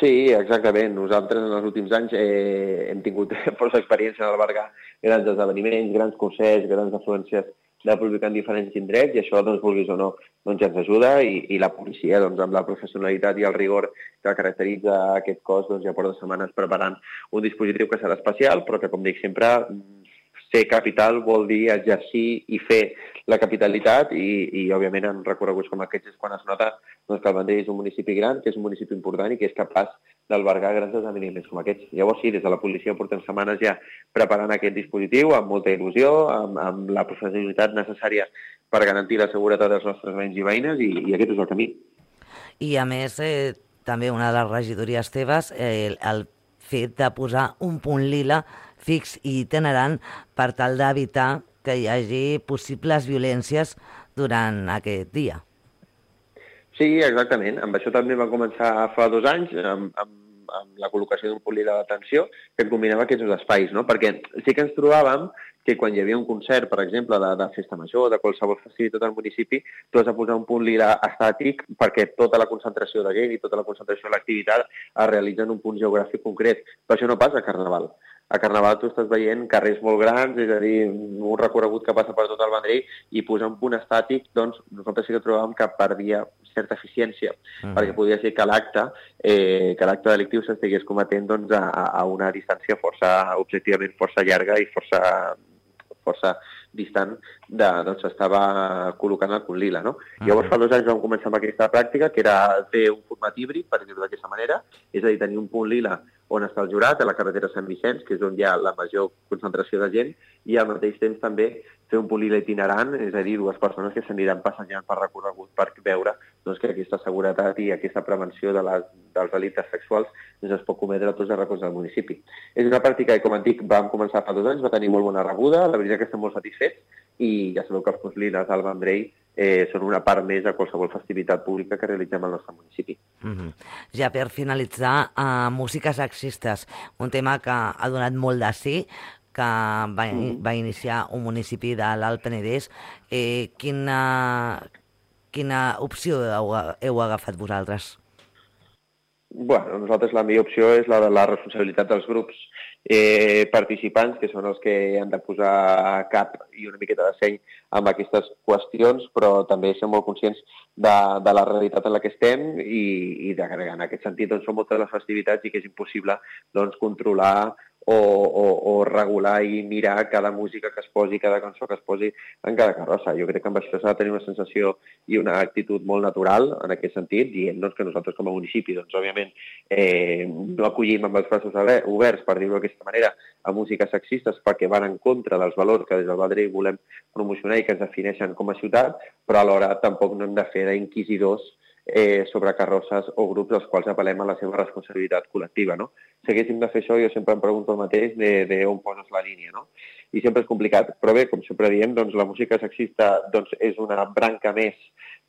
Sí, exactament. Nosaltres en els últims anys eh, hem tingut força experiència en albergar grans esdeveniments, grans concerts, grans afluències de públic en diferents indrets i això, doncs, vulguis o no, doncs, ens ajuda i, i la policia, doncs, amb la professionalitat i el rigor que caracteritza aquest cos, doncs, ja porta setmanes preparant un dispositiu que serà especial, però que, com dic sempre, ser capital vol dir exercir i fer la capitalitat i, i òbviament, en recorreguts com aquests és quan es nota doncs, que el Vendrell és un municipi gran, que és un municipi important i que és capaç d'albergar grans esdeveniments com aquests. Llavors, sí, des de la policia portem setmanes ja preparant aquest dispositiu amb molta il·lusió, amb, amb la professionalitat necessària per garantir la seguretat dels nostres veïns i veïnes i, i aquest és el camí. I, a més, eh, també una de les regidories teves, eh, el fet de posar un punt lila fix i itinerant per tal d'evitar que hi hagi possibles violències durant aquest dia. Sí, exactament. Amb això també va començar fa dos anys, amb, amb, amb la col·locació d'un punt lila d'atenció que combinava aquests dos espais, no? Perquè sí que ens trobàvem que quan hi havia un concert, per exemple, de, de festa major, de qualsevol festivitat al municipi, tu has de posar un punt lila estàtic perquè tota la concentració de gent i tota la concentració de l'activitat es realitza en un punt geogràfic concret. Però això no passa a Carnaval. A Carnaval tu estàs veient carrers molt grans, és a dir, un recorregut que passa per tot el Vendrell i posar un punt estàtic, doncs nosaltres sí que trobàvem que perdia certa eficiència, uh-huh. perquè podria ser que l'acte eh, que l'acte delictiu s'estigués cometent doncs, a, a una distància força, objectivament força llarga i força, força distant de, doncs estava col·locant el punt lila, no? Uh-huh. Llavors fa dos anys vam començar amb aquesta pràctica, que era fer un format híbrid, per dir-ho d'aquesta manera, és a dir, tenir un punt lila on està el jurat, a la carretera Sant Vicenç, que és on hi ha la major concentració de gent, i al mateix temps també fer un punt lila itinerant, és a dir, dues persones que s'aniran passejant per recorregut per veure doncs, que aquesta seguretat i aquesta prevenció de les, dels delictes sexuals doncs, es pot cometre a tots els racons del municipi. És una pràctica que, com et dic, vam començar fa dos anys, va tenir molt bona rebuda, la veritat que estem molt satisfets, i ja sabeu que els punts liles al Vendrell eh, són una part més de qualsevol festivitat pública que realitzem al nostre municipi. Mm-hmm. Ja per finalitzar, uh, músiques sexistes, un tema que ha donat molt de sí, que va, mm. va iniciar un municipi de l'Alt Penedès. Eh, quina, quina opció heu, heu agafat vosaltres? Bueno, nosaltres la millor opció és la de la responsabilitat dels grups eh, participants, que són els que han de posar cap i una miqueta de seny amb aquestes qüestions, però també som molt conscients de, de la realitat en la que estem i, i de, en aquest sentit doncs, són moltes les festivitats i que és impossible doncs, controlar o, o, o regular i mirar cada música que es posi, cada cançó que es posi en cada carrossa. Jo crec que amb això s'ha de tenir una sensació i una actitud molt natural en aquest sentit, dient doncs, que nosaltres com a municipi, doncs, òbviament, eh, no acollim amb els braços oberts, per dir-ho d'aquesta manera, a músiques sexistes perquè van en contra dels valors que des del Vendrell volem promocionar i que ens defineixen com a ciutat, però alhora tampoc no hem de fer d'inquisidors eh, sobre carrosses o grups als quals apel·lem a la seva responsabilitat col·lectiva. No? Si haguéssim de fer això, jo sempre em pregunto el mateix de, de on poses la línia. No? I sempre és complicat, però bé, com sempre diem, doncs, la música sexista doncs, és una branca més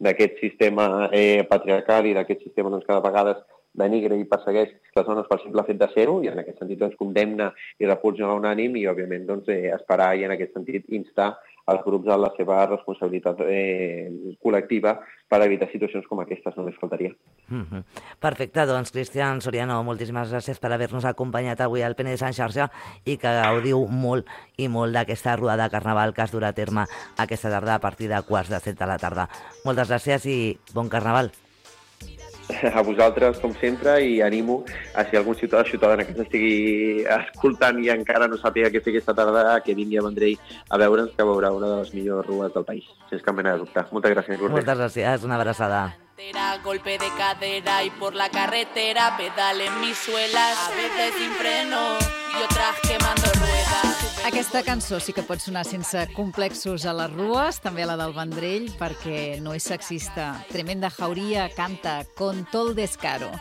d'aquest sistema eh, patriarcal i d'aquest sistema doncs, que de vegades denigre i persegueix les dones pel simple fet de ser-ho i en aquest sentit doncs, condemna i repulsa unànim i òbviament doncs, eh, esperar i en aquest sentit instar els grups a la seva responsabilitat eh, col·lectiva per evitar situacions com aquestes, només faltaria. Mm-hmm. Perfecte, doncs Cristian Soriano, moltíssimes gràcies per haver-nos acompanyat avui al Penedès en xarxa i que gaudiu molt i molt d'aquesta ruada de carnaval que es durà a terme aquesta tarda a partir de quarts de set de la tarda. Moltes gràcies i bon carnaval. A vosaltres, com sempre, i animo a si algun ciutadà o ciutadana que ens estigui escoltant i encara no sàpiga què fer aquesta tarda, que vingui a Vendrell a veure'ns, que veurà una de les millors rues del país, sense cap mena de dubte. Moltes gràcies, Lourdes. Moltes gràcies, una abraçada. Golpe de cadera y por la carretera pedalen mis suelas, a veces sin freno y otras quemando ruedas. Aquesta cançó sí que pot sonar sense complexos a les rues, també la del Vendrell, perquè no és sexista. Tremenda Jauría canta Con todo el descaro.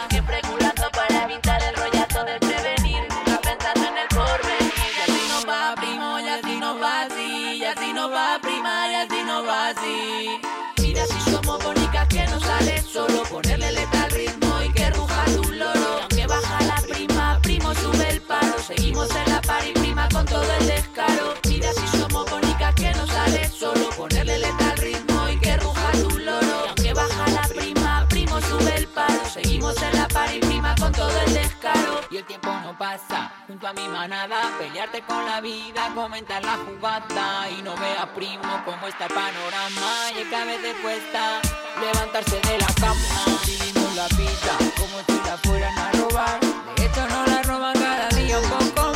Siempre culando para evitar el rollazo del prevenir, nunca pensando en el porvenir. Y así no va, primo, y así no va así, y así no va, prima, y así no va así. Mira si somos bonitas que no sale solo ponerle letra al ritmo y que ruja tu loro. Y aunque baja la prima, primo sube el paro. Seguimos en la pari prima con todo el descaro. Mira si somos bonitas que no sale solo ponerle letra al ritmo y que ruja tu loro. Y aunque baja la prima, primo sube el paro. Seguimos en la pari prima con todo el descaro. Y el tiempo no pasa junto a mi manada. Pelearte con la vida, comentar la jugada y no veas primo cómo está el panorama. Y es que a veces cuesta levantarse de la cama. Vivimos la vida como si la fueran a robar. De hecho no la roban cada día un poco